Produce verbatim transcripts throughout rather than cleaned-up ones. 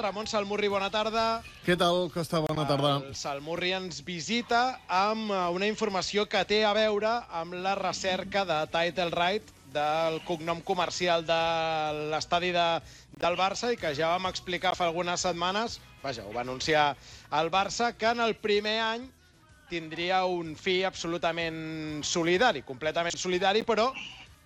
Ramon Salmurri, bona tarda. Què tal, Costa? Bona tarda. El Salmurri ens visita amb una informació que té a veure amb la recerca de title right del cognom comercial de l'estadi de, del Barça i que ja vam explicar fa algunes setmanes, vaja, ho va anunciar el Barça, que en el primer any tindria un fi absolutament solidari, completament solidari, però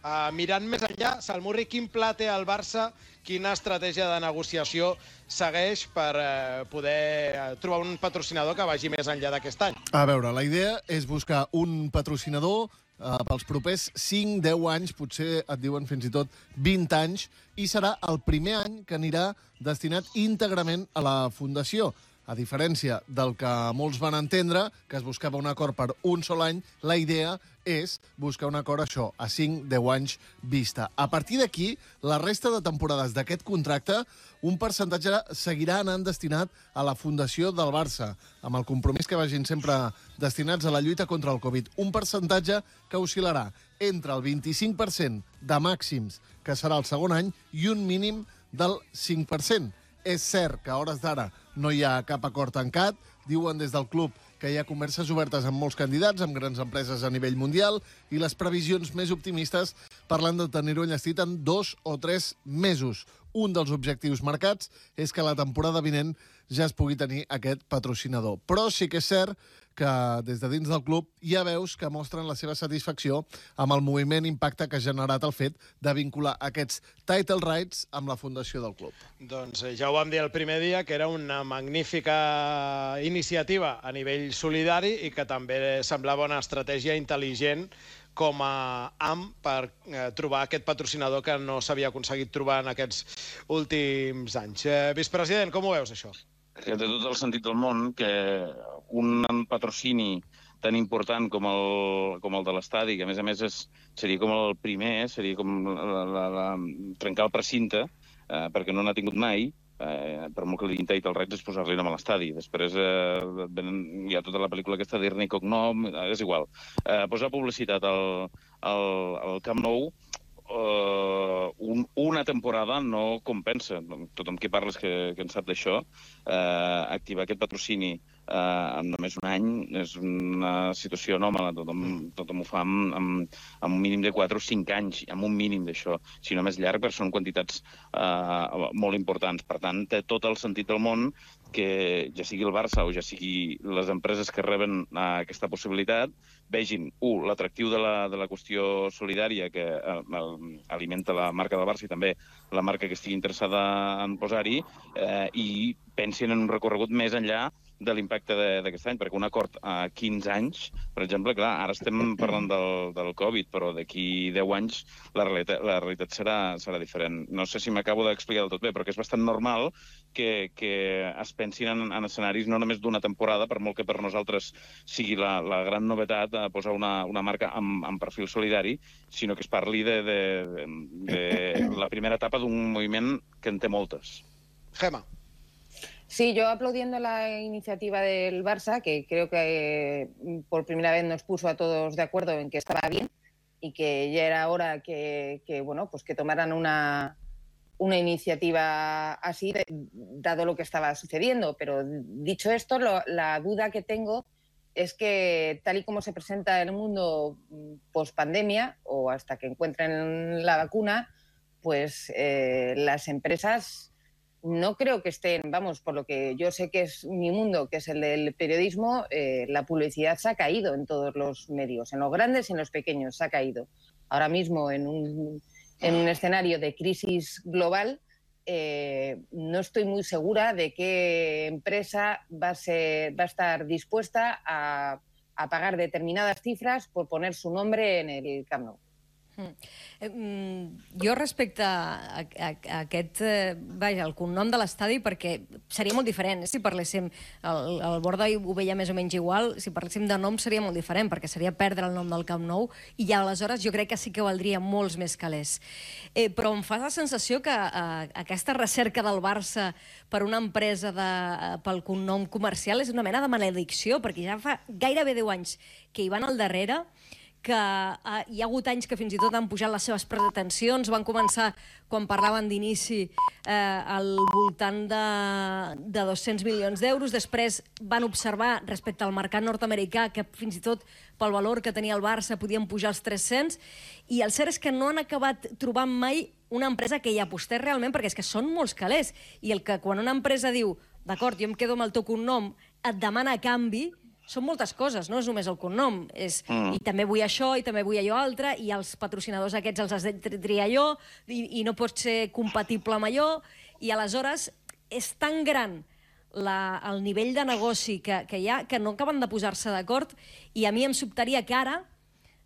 Uh, mirant més enllà, Salmurri, quin pla té el Barça, quina estratègia de negociació segueix per uh, poder uh, trobar un patrocinador que vagi més enllà d'aquest any? A veure, la idea és buscar un patrocinador uh, pels propers cinc a deu anys, potser et diuen fins i tot vint anys, i serà el primer any que anirà destinat íntegrament a la Fundació. A diferència del que molts van entendre, que es buscava un acord per un sol any, la idea és buscar un acord, això, a cinc a deu anys vista. A partir d'aquí, la resta de temporades d'aquest contracte, un percentatge seguirà anant destinat a la Fundació del Barça, amb el compromís que vagin sempre destinats a la lluita contra el Covid. Un percentatge que oscil·larà entre el vint-i-cinc per cent de màxims, que serà el segon any, i un mínim del cinc per cent. És cert que a hores d'ara no hi ha cap acord tancat. Diuen des del club que hi ha converses obertes amb molts candidats, amb grans empreses a nivell mundial, i les previsions més optimistes parlen de tenir-ho enllestit en dos o tres mesos. Un dels objectius marcats és que la temporada vinent ja es pugui tenir aquest patrocinador. Però sí que és cert que des de dins del club hi ha veus que mostren la seva satisfacció amb el moviment impacte que ha generat el fet de vincular aquests title rights amb la fundació del club. Doncs ja ho vam dir el primer dia, que era una magnífica iniciativa a nivell solidari i que també semblava una estratègia intel·ligent com a A M per eh, trobar aquest patrocinador que no s'havia aconseguit trobar en aquests últims anys. Eh, vicepresident, com ho veus, això? Que té tot el sentit del món que un patrocini tan important com el, com el de l'estadi, que a més a més és, seria com el primer, seria com la, la, la, trencar el precinte, eh, perquè no n'ha tingut mai, eh, per molt que li diguin title rights és posar-li nom a l'estadi. Després eh, hi ha tota la pel·lícula aquesta dir-ne cognom, eh, és igual. Eh, posar publicitat al, al, al Camp Nou Uh, un, una temporada no compensa. Tothom que parles que, que en sap d'això, uh, activar aquest patrocini uh, en només un any és una situació anòmala. Tothom, tothom ho fa amb, amb, amb un mínim de quatre o cinc anys, amb un mínim d'això. Si no més llarg, perquè són quantitats uh, molt importants. Per tant, té tot el sentit del món que ja sigui el Barça o ja sigui les empreses que reben uh, aquesta possibilitat vegin, un, l'atractiu de, la, de la qüestió solidària que uh, alimenta la marca del Barça i també la marca que estigui interessada en posar-hi, eh, i pensin en un recorregut més enllà de l'impacte d'aquest any, perquè un acord a quinze anys, per exemple, clar, ara estem parlant del, del Covid, però d'aquí deu anys la realitat, la realitat serà, serà diferent. No sé si m'acabo d'explicar del tot bé, però que és bastant normal que, que es pensin en, en escenaris no només d'una temporada, per molt que per nosaltres sigui la, la gran novetat a posar una, una marca amb, amb perfil solidari, sinó que es parli de, de, de, de la primera etapa d'un moviment que en té moltes. Gemma. Sí, yo aplaudiendo la iniciativa del Barça, que creo que por primera vez nos puso a todos de acuerdo en que estaba bien y que ya era hora que, que, bueno, pues que tomaran una, una iniciativa así, dado lo que estaba sucediendo. Pero dicho esto, lo, la duda que tengo es que tal y como se presenta el mundo post-pandemia o hasta que encuentren la vacuna, pues eh, las empresas no creo que estén, vamos, por lo que yo sé que es mi mundo, que es el del periodismo, eh, la publicidad se ha caído en todos los medios, en los grandes y en los pequeños, se ha caído. Ahora mismo en un, en un escenario de crisis global, eh, no estoy muy segura de qué empresa va a, ser, va a estar dispuesta a, a pagar determinadas cifras por poner su nombre en el Camp Nou. Mm. Jo respecte a, a, a aquest, eh, vaja, el cognom de l'estadi, perquè seria molt diferent. Si parléssim, el, el Borda ho veia més o menys igual, si parléssim de nom seria molt diferent, perquè seria perdre el nom del Camp Nou, i ja aleshores jo crec que sí que valdria molts més calés. Eh, però em fa la sensació que eh, aquesta recerca del Barça per una empresa de, eh, pel cognom comercial és una mena de maledicció, perquè ja fa gairebé deu anys que hi van al darrere, que uh, hi ha hagut anys que fins i tot han pujat les seves pretensions, van començar, quan parlaven d'inici, eh, al voltant de, de dos-cents milions d'euros, després van observar respecte al mercat nord-americà que fins i tot pel valor que tenia el Barça podien pujar els tres-cents, i el cert és que no han acabat trobant mai una empresa que hi apostés realment, perquè és que són molts calés, i el que quan una empresa diu d'acord, jo em quedo amb el teu cognom, et demana a canvi, són moltes coses, no és només el cognom. És, mm. I també vull això, i també vull allò altre, i els patrocinadors aquests els has de triar jo, i, i no pot ser compatible amb allò, i aleshores és tan gran la, el nivell de negoci que, que hi ha que no acaben de posar-se d'acord, i a mi em sobtaria que ara,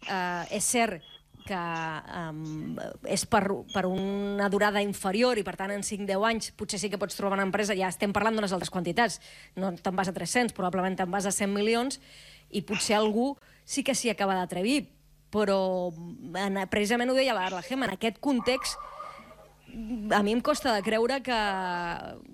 eh, és cert que um, és per, per una durada inferior i, per tant, en cinc deu anys potser sí que pots trobar una empresa, ja estem parlant d'unes altres quantitats, no te'n vas a tres-cents, probablement te'n vas a cent milions, i potser algú sí que s'hi acaba d'atrevir, però en, precisament ho deia la, la Gemma, en aquest context a mi em costa de creure que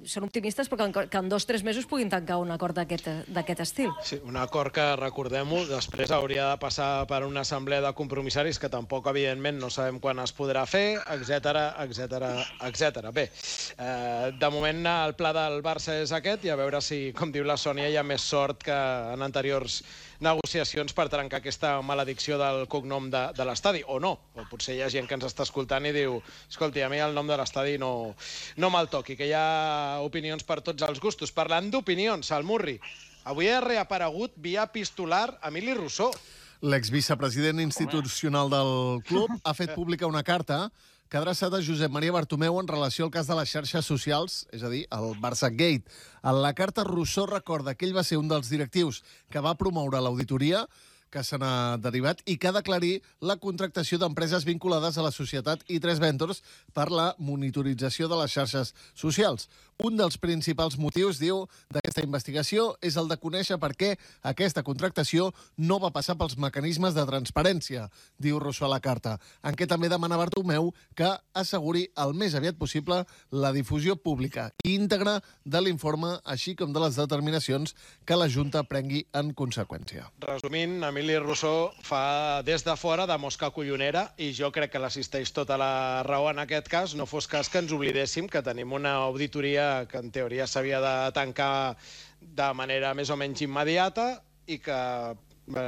són optimistes, però que, que en dos o tres mesos puguin tancar un acord d'aquest estil. Sí, un acord que, recordem-ho, després hauria de passar per una assemblea de compromissaris que tampoc, evidentment, no sabem quan es podrà fer, etcètera, etcètera, etcètera. Bé, eh, de moment el pla del Barça és aquest, i a veure si, com diu la Sònia, hi ha més sort que en anteriors negociacions per trencar aquesta maledicció del cognom de, de l'estadi, o no. O potser hi ha gent que ens està escoltant i diu escolti, a mi el nom de l'estadi no, no me'l toqui, que hi ha opinions per tots els gustos. Parlant d'opinions, Salmurri, avui ha reaparegut via epistolar Emili Rousseau. L'exvicepresident institucional del club ha fet pública una carta que ha adreçat a Josep Maria Bartomeu en relació al cas de les xarxes socials, és a dir, el Barça Gate. En la carta, Rousseau recorda que ell va ser un dels directius que va promoure l'auditoria, que se n'ha derivat, i que ha d'aclarir la contractació d'empreses vinculades a la societat i tres Ventures per la monitorització de les xarxes socials. Un dels principals motius, diu, d'aquesta investigació és el de conèixer per què aquesta contractació no va passar pels mecanismes de transparència, diu Rousseau a la carta, en què també demana Bartomeu que asseguri el més aviat possible la difusió pública i íntegra de l'informe, així com de les determinacions que la Junta prengui en conseqüència. Resumint, Emili Rousseau fa des de fora de mosca collonera, i jo crec que l'assisteix tota la raó en aquest cas, no fos cas que ens oblidéssim que tenim una auditoria que en teoria s'havia de tancar de manera més o menys immediata i que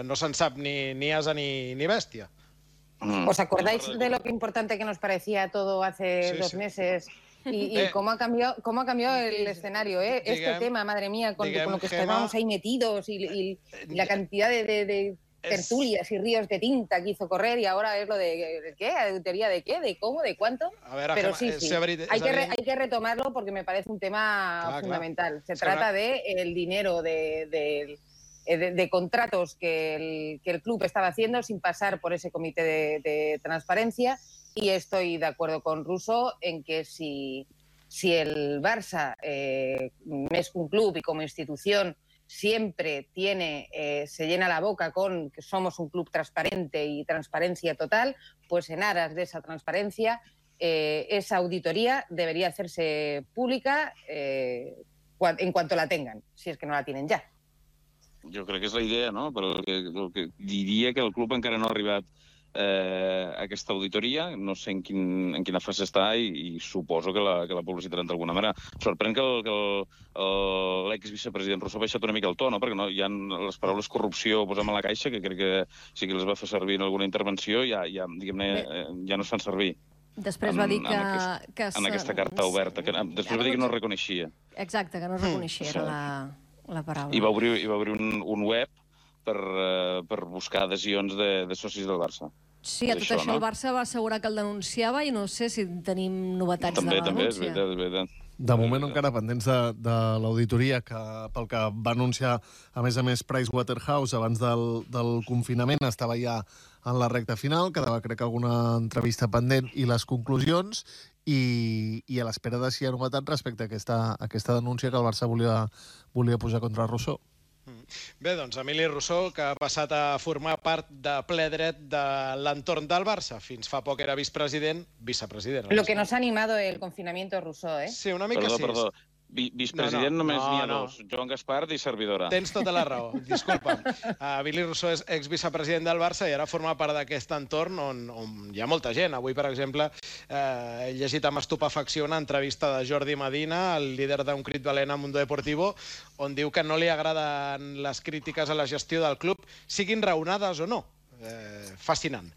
no se'n sap ni, ni asa ni, ni bèstia. ¿Os acordáis de lo importante que nos parecía todo hace sí, dos sí. meses? Y, y cómo ha cambiado, cómo ha cambiado el escenario, ¿eh? Este diguem, tema, madre mía, con, diguem, con lo que estábamos ahí metidos y, y, y la cantidad de, de, de tertulias y ríos de tinta que hizo correr, y ahora es lo de, ¿de qué? ¿Teoría de qué? ¿De cómo? ¿De cuánto? A ver, Pero Gemma, sí, sí. Hay que, re, hay que retomarlo porque me parece un tema claro, fundamental. Claro. Se Será... trata de el dinero de... de De, de contratos que el, que el club estaba haciendo sin pasar por ese comité de, de transparencia, y estoy de acuerdo con Rousseau en que si, si el Barça eh, es un club y como institución siempre tiene, eh, se llena la boca con que somos un club transparente y transparencia total, pues en aras de esa transparencia eh, esa auditoría debería hacerse pública eh, en cuanto la tengan, si es que no la tienen ya. Jo crec que és la idea, no? Però el que, el que diria que el club encara no ha arribat eh, a aquesta auditoria, no sé en, quin, en quina fase està, i, i suposo que la, que la publicitaran d'alguna manera. Sorprèn que l'exvicepresident Rousseau ha baixat una mica el to, no? Perquè no, hi ha les paraules corrupció, posem a la caixa, que crec que sí que les va fer servir en alguna intervenció, ja, ja, diguem-ne, ja no es fan servir. Després en, va dir que... En, aquest, que en aquesta carta oberta. Que, després va dir que no reconeixia. Exacte, que no reconeixia, era la... la paraula. I va obrir, i va obrir un, un web per, uh, per buscar adhesions de, de socis del Barça. Sí, a tot això, això no? El Barça va assegurar que el denunciava, i no sé si tenim novetats també, de la també, denúncia. També, és veritat, és veritat. De moment encara pendents de, de l'auditoria, que pel que va anunciar, a més a més, Pricewaterhouse abans del, del confinament, estava ja en la recta final, quedava, crec, alguna entrevista pendent i les conclusions, i, i a l'espera de si hi ha novetat respecte a aquesta, a aquesta denúncia que el Barça volia, volia posar contra Rousseau. Bé, doncs Emili Rousseau, que ha passat a formar part de ple dret de l'entorn del Barça. Fins fa poc era vicepresident, vicepresident. Lo que nos ha animado el confinamiento Rousseau, ¿eh? Sí, una mica perdó, sí. Perdó, Vi vicepresident no, no, només no, n'hi ha no. dos, Joan Gaspar i servidora. Tens tota la raó, disculpa'm. Uh, Billy Rousseau és exvicepresident del Barça i ara forma part d'aquest entorn on, on hi ha molta gent. Avui, per exemple, uh, he llegit amb estupefacció una entrevista de Jordi Medina, el líder d'un crit valent a Mundo Deportivo, on diu que no li agraden les crítiques a la gestió del club, siguin raonades o no. Eh, fascinant.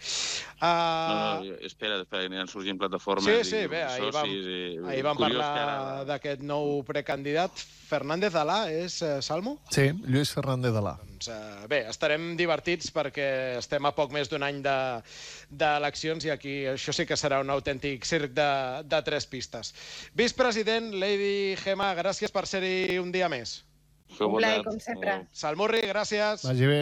Uh... No, no, espera, espera, aniran sorgint plataformes sí, sí, i bé, ahir vam, socis. I... ahir vam Curiós parlar ara... d'aquest nou precandidat. Fernández Alà és, eh, Salmo? Sí, Lluís Fernández Alà. Doncs, eh, bé, estarem divertits perquè estem a poc més d'un any d'eleccions de, i aquí això sí que serà un autèntic circ de, de tres pistes. Vicepresident, Lady Gemma, gràcies per ser-hi un dia més. Un plaer, com sempre. Salmurri, gràcies. Vagi bé.